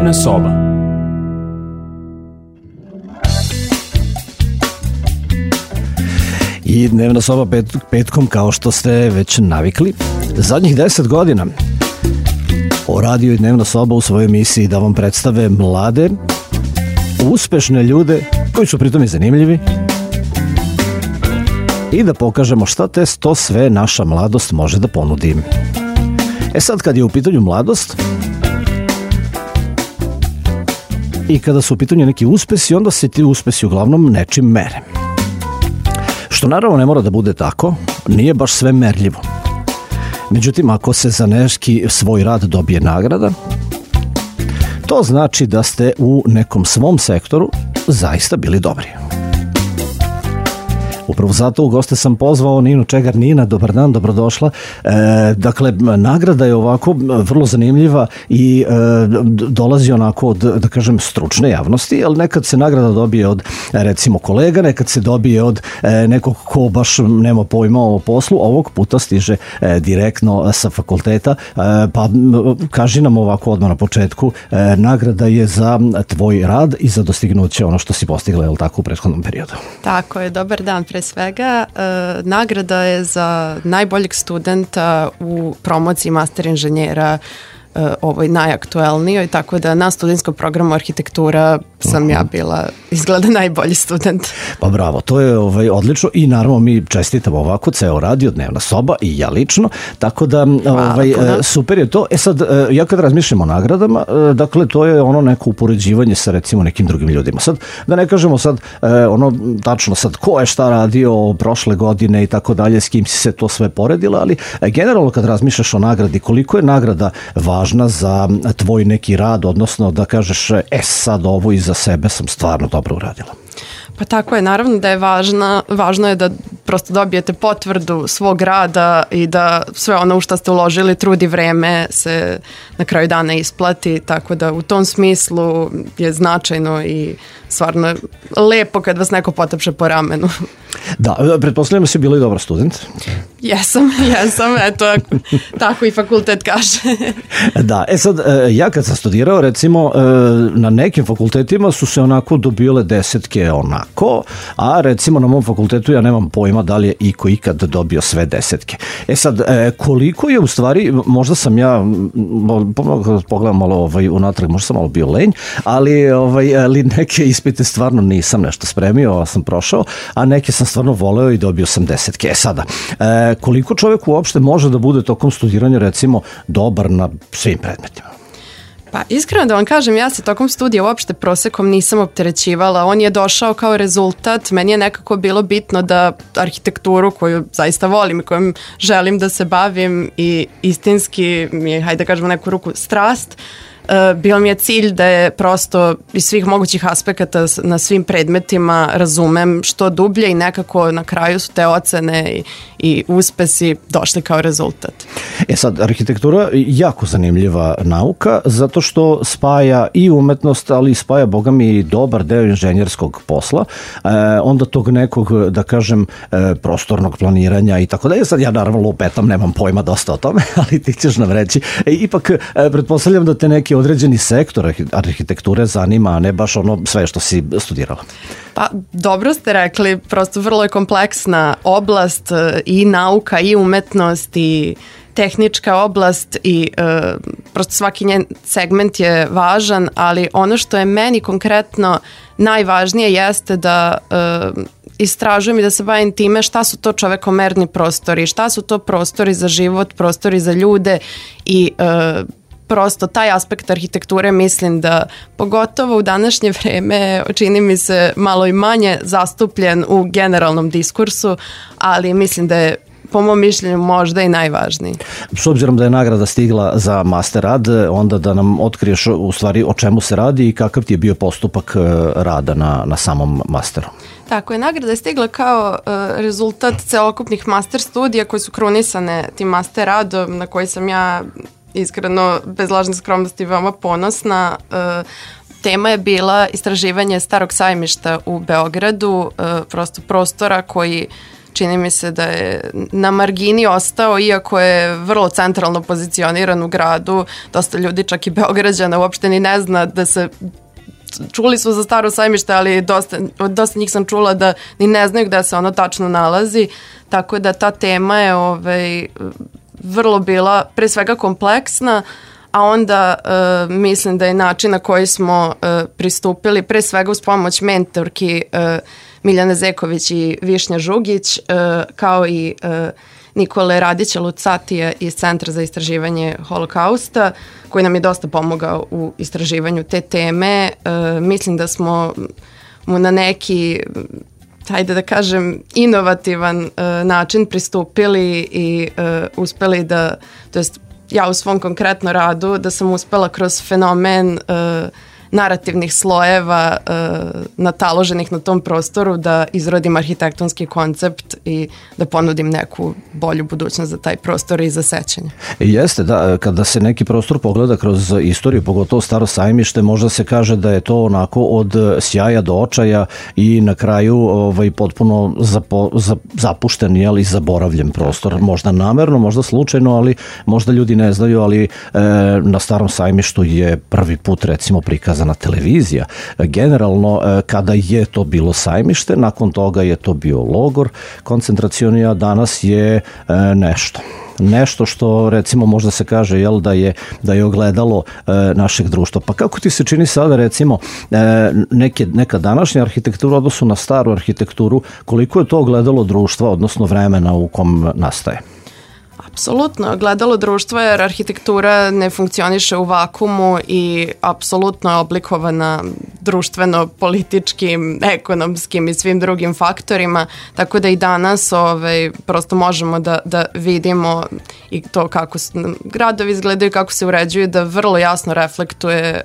Dnevna soba. I dnevna soba petkom, kao što ste već navikli. Zadnjih 10 godina o Radio i dnevna soba u svojoj emisiji da vam predstave mlade, uspešne ljude koji su pritom i zanimljivi i da pokažemo šta to sve naša mladost može da ponudi. Sad kad je u pitanju mladost i kada su u pitanju neki uspesi, onda se ti uspesi uglavnom nečim mere. Što naravno ne mora da bude tako, nije baš sve merljivo. Međutim, ako se za neki svoj rad dobije nagrada, to znači da ste u nekom svom sektoru zaista bili dobri. Upravo zato u goste sam pozvao Ninu Čegar. Nina, dobar dan, dobrodošla. Dakle, nagrada je ovako vrlo zanimljiva i dolazi onako od, da kažem, stručne javnosti, ali nekad se nagrada dobije od, recimo, kolega, nekad se dobije od nekog ko baš nema pojma o poslu. Ovog puta stiže direktno sa fakulteta, pa kaži nam ovako odmah na početku, nagrada je za tvoj rad i za dostignuće ono što si postigla, je li tako, u prethodnom periodu? Tako je, dobar dan. Pre svega, nagrada je za najboljeg studenta u promociji master inženjera, ovoj najaktuelnijoj, tako da na studentskom programu arhitektura sam ja bila izgleda najbolji student. Pa bravo, to je odlično i naravno mi čestitamo ovako ceo radio, dnevna soba i ja lično, tako da super je to. Sad, ja kad razmišljam o nagradama, dakle to je ono neko upoređivanje sa recimo nekim drugim ljudima. Sad, da ne kažemo sad ono tačno sad ko je šta radio prošle godine i tako dalje, s kim si se to sve poredila, ali generalno kad razmišljaš o nagradi, koliko je nagrada važna za tvoj neki rad, odnosno da kažeš sad ovo iza sebe sam stvarno dobro uradila. Pa tako je, naravno da je važno je da prosto dobijete potvrdu svog rada i da sve ono u što ste uložili trud i vreme se na kraju dana isplati, tako da u tom smislu je značajno i stvarno lepo kad vas neko potapše po ramenu. Da, pretpostavljam da si bila i dobar student. Jesam, eto, tako i fakultet kaže. Da, sad, ja kad sam studirao, recimo, na nekim fakultetima su se onako dobile desetke onako, a recimo na mom fakultetu ja nemam pojma da li je iko ikad dobio sve desetke. Sad, koliko je u stvari, možda sam ja, pogledam malo unatrag, možda sam malo bio lenj, ali neke ispite stvarno nisam nešto spremio, sam prošao, a neke sam stvarno voleo i dobio sam desetke. Sada, koliko čovjek uopšte može da bude tokom studiranja recimo dobar na svim predmetima? Pa iskreno da vam kažem, ja se tokom studija uopšte prosekom nisam opterećivala. On je došao kao rezultat. Meni je nekako bilo bitno da arhitekturu koju zaista volim i kojom želim da se bavim i istinski mi je, hajde da kažemo neku ruku, strast, bio mi je cilj da je prosto iz svih mogućih aspekata na svim predmetima razumem što dublje i nekako na kraju su te ocene i uspesi došli kao rezultat. Sad, arhitektura je jako zanimljiva nauka zato što spaja i umetnost, ali spaja, boga mi, i dobar deo inženjerskog posla, onda tog nekog, da kažem, prostornog planiranja i tako dalje. Sad ja naravno lupetam, nemam pojma dosta o tome, ali ti ćeš nam reći. Ipak, pretpostavljam da te neki određeni sektor arhitekture zanima, a ne baš ono sve što si studirala. Pa dobro ste rekli, prosto vrlo je kompleksna oblast i nauka i umetnost i tehnička oblast i prosto svaki njen segment je važan, ali ono što je meni konkretno najvažnije jeste da istražujem i da se bavim time šta su to čovekomerni prostori, šta su to prostori za život, prostori za ljude i prosto taj aspekt arhitekture mislim da pogotovo u današnje vreme čini mi se malo i manje zastupljen u generalnom diskursu, ali mislim da je po mom mišljenju možda i najvažniji. S obzirom da je nagrada stigla za master rad, onda da nam otkriješ u stvari o čemu se radi i kakav ti je bio postupak rada na samom masteru. Tako je, nagrada je stigla kao rezultat celokupnih master studija koji su krunisane tim master radom na koji sam ja iskreno, bez lažne skromnosti, veoma ponosna. Tema je bila istraživanje Starog sajmišta u Beogradu, prosto prostora koji čini mi se da je na margini ostao, iako je vrlo centralno pozicioniran u gradu. Dosta ljudi, čak i Beograđana, uopšte ni ne zna da se... Čuli su za Staro sajmište, ali dosta njih sam čula da ni ne znaju gde se ono tačno nalazi. Tako da ta tema je vrlo bila pre svega kompleksna, a onda mislim da je način na koji smo pristupili, pre svega uz pomoć mentorki Miljane Zeković i Višnja Žugić, kao i Nikole Radića Lucatija iz Centra za istraživanje holokausta, koji nam je dosta pomogao u istraživanju te teme. Mislim da smo mu na neki, hajde da kažem, inovativan način pristupili i uspeli da, to jest ja u svom konkretno radu, da sam uspela kroz fenomen narativnih slojeva nataloženih na tom prostoru da izrodim arhitektonski koncept i da ponudim neku bolju budućnost za taj prostor i za sećanje. Jeste, da, kada se neki prostor pogleda kroz istoriju, pogotovo Staro sajmište, možda se kaže da je to onako od sjaja do očaja i na kraju potpuno zapušten, i zaboravljen prostor. Možda namerno, možda slučajno, ali možda ljudi ne znaju, ali na Starom sajmištu je prvi put recimo prikazana televizija. Generalno, kada je to bilo sajmište, nakon toga je to bio logor koncentracioni, a danas je nešto što recimo možda se kaže da je ogledalo našeg društva. Pa kako ti se čini sada recimo neka današnja arhitektura u odnosu na staru arhitekturu, koliko je to ogledalo društva, odnosno vremena u kom nastaje? Apsolutno, gledalo društva jer arhitektura ne funkcioniše u vakumu i apsolutno je oblikovana društveno, političkim, ekonomskim i svim drugim faktorima, tako da i danas prosto možemo da vidimo i to kako gradovi izgledaju, kako se uređuju, da vrlo jasno reflektuje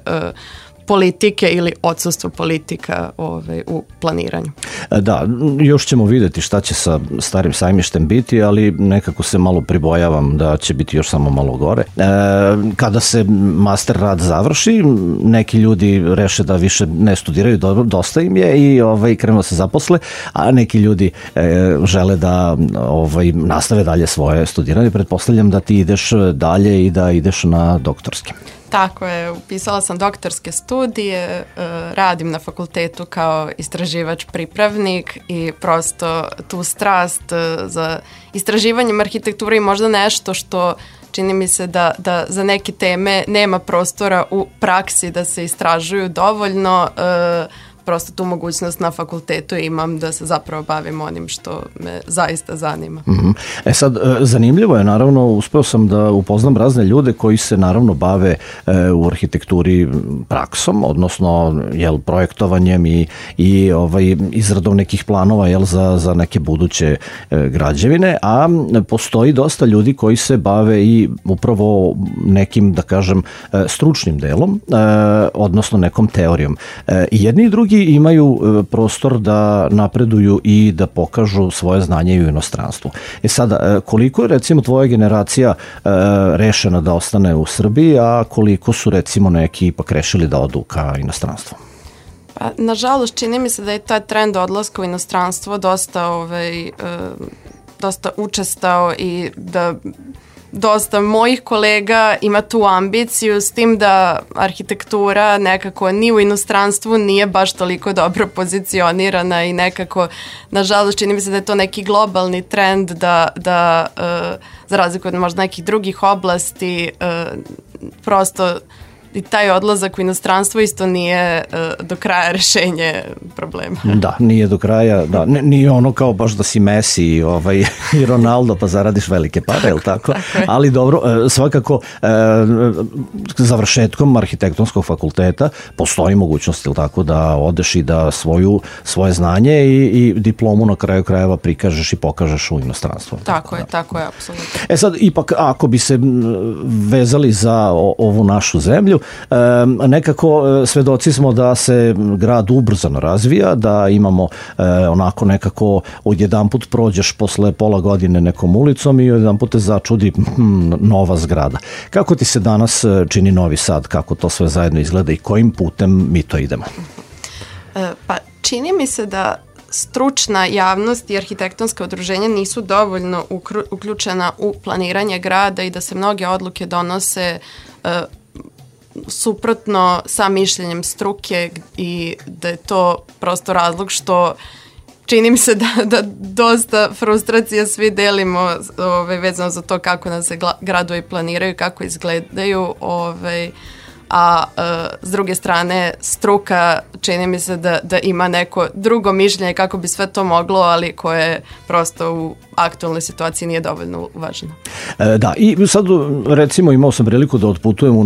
politike ili odsustvo politika u planiranju. Da, još ćemo vidjeti šta će sa Starim sajmištem biti, ali nekako se malo pribojavam da će biti još samo malo gore. Kada se master rad završi, neki ljudi reše da više ne studiraju, dosta im je i krenu da se zaposle, a neki ljudi žele da nastave dalje svoje studiranje. Pretpostavljam da ti ideš dalje i da ideš na doktorski. Tako je, upisala sam doktorske studije, radim na fakultetu kao istraživač pripravnik i prosto tu strast za istraživanjem arhitekture i možda nešto što čini mi se da za neke teme nema prostora u praksi da se istražuju dovoljno, prosto tu mogućnost na fakultetu imam da se zapravo bavim onim što me zaista zanima. Sad, zanimljivo je, naravno, uspeo sam da upoznam razne ljude koji se naravno bave u arhitekturi praksom, odnosno projektovanjem i izradom nekih planova za neke buduće građevine, a postoji dosta ljudi koji se bave i upravo nekim, da kažem, stručnim delom, odnosno nekom teorijom. I jedni i drugi imaju prostor da napreduju i da pokažu svoje znanje i u inostranstvu. Sada, koliko je recimo tvoja generacija rešena da ostane u Srbiji, a koliko su recimo neki ipak rešili da odu ka inostranstvu? Pa, nažalost, čini mi se da je taj trend odlaska u inostranstvo dosta učestao i da dosta mojih kolega ima tu ambiciju, s tim da arhitektura nekako ni u inostranstvu nije baš toliko dobro pozicionirana i nekako, nažalost, čini mi se da je to neki globalni trend da za razliku od možda nekih drugih oblasti, prosto i taj odlazak u inostranstvo isto nije do kraja rešenje problema. Da, nije do kraja, da, nije ono kao baš da si Messi i Ronaldo pa zaradiš velike pare, je li tako? Ali dobro, svakako završetkom arhitektonskog fakulteta postoji mogućnost, je li tako, da odeš i da svoje znanje i diplomu na kraju krajeva prikažeš i pokažeš u inostranstvu. Tako je, apsolutno. Sad, ipak, ako bi se vezali za ovu našu zemlju, nekako svedoci smo da se grad ubrzano razvija, da imamo onako nekako odjedanput prođeš posle pola godine nekom ulicom i odjedanput te začudi nova zgrada. Kako ti se danas čini Novi Sad, kako to sve zajedno izgleda i kojim putem mi to idemo? Pa čini mi se da stručna javnost i arhitektonska udruženja nisu dovoljno uključena u planiranje grada i da se mnoge odluke donose suprotno sa mišljenjem struke i da je to prosto razlog što čini mi se da dosta frustracija svi delimo vezano za to kako nas se gradovi planiraju, kako izgledaju, a s druge strane struka čini mi se da ima neko drugo mišljenje kako bi sve to moglo, ali koje prosto u aktualnoj situaciji nije dovoljno uvaženo. Da, i sad recimo imao sam priliku da otputujem u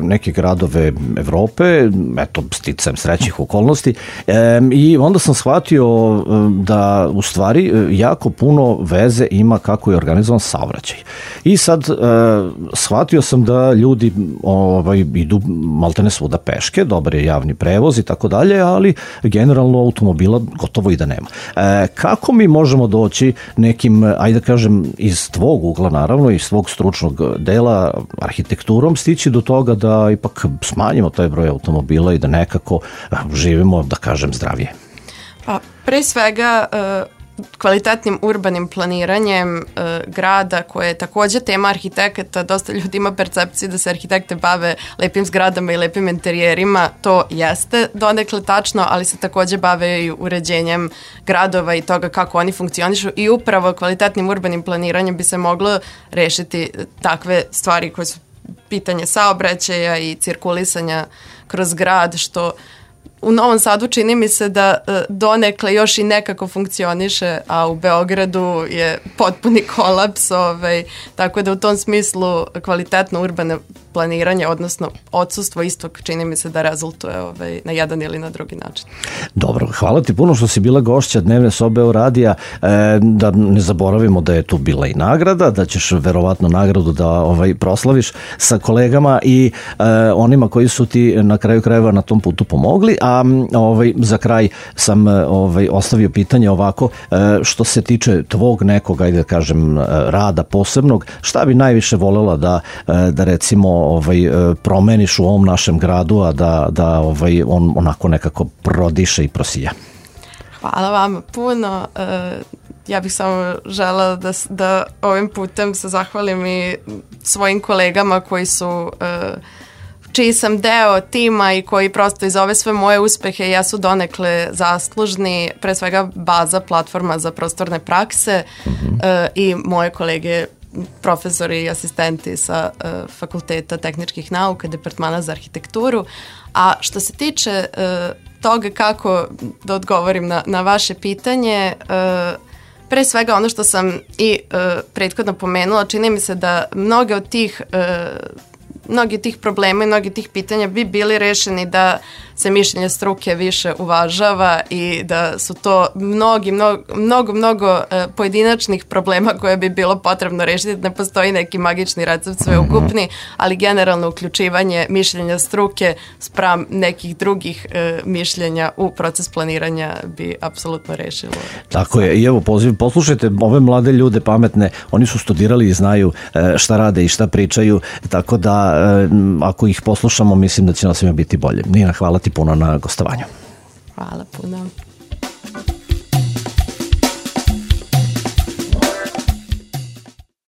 neke gradove Evrope, eto, sticajem srećnih okolnosti, i onda sam shvatio da u stvari jako puno veze ima kako je organizovan saobraćaj. I sad shvatio sam da ljudi idu maltene svuda peške, dobar je javni prevoz i tako dalje, ali generalno automobila gotovo i da nema. Kako mi možemo doći nekim, ajde da kažem, iz tvog ugla naravno, iz svog stručnog dela arhitekturom stići do toga da ipak smanjimo taj broj automobila i da nekako živimo, da kažem, zdravije? Pa, pre svega kvalitetnim urbanim planiranjem grada, koje je takođe tema arhitekata. Dosta ljudi ima percepciju da se arhitekte bave lepim zgradama i lepim interijerima. To jeste donekle tačno, ali se takođe bave i uređenjem gradova i toga kako oni funkcionišu i upravo kvalitetnim urbanim planiranjem bi se moglo rešiti takve stvari koje su pitanje saobraćaja i cirkulisanja kroz grad, što u Novom Sadu čini mi se da donekle još i nekako funkcioniše, a u Beogradu je potpuni kolaps, tako da u tom smislu kvalitetno urbano planiranje, odnosno odsustvo istog, čini mi se da rezultuje na jedan ili na drugi način. Dobro, hvala ti puno što si bila gošća Dnevne sobe Euradija, da ne zaboravimo da je tu bila i nagrada, da ćeš verovatno nagradu da proslaviš sa kolegama i onima koji su ti na kraju krajeva na tom putu pomogli, a za kraj sam ostavio pitanje ovako, što se tiče tvog nekog, ajde da kažem, rada posebnog, šta bi najviše volela da recimo promeniš u ovom našem gradu, a da on onako nekako prodiše i prosija? Hvala vama puno. Ja bih samo želela da ovim putem se zahvalim i svojim kolegama koji su čiji sam deo tima i koji prosto iz ove sve moje uspehe jesu donekle zaslužni, pre svega baza, platforma za prostorne prakse i moje kolege profesori i asistenti sa Fakulteta tehničkih nauka, Departmana za arhitekturu. A što se tiče toga kako da odgovorim na vaše pitanje, pre svega ono što sam i prethodno pomenula, čini mi se da mnogi od tih problema i mnogi tih pitanja bi bili rešeni da se mišljenje struke više uvažava i da su to mnogo pojedinačnih problema koje bi bilo potrebno rešiti. Ne postoji neki magični recept sveukupni, ali generalno uključivanje mišljenja struke spram nekih drugih mišljenja u proces planiranja bi apsolutno rešilo. Tako je, i evo poslušajte ove mlade ljude pametne, oni su studirali i znaju šta rade i šta pričaju, tako da ako ih poslušamo, mislim da će nam svima biti bolje. Nina, hvala ti puno na gostovanju. Hvala puno.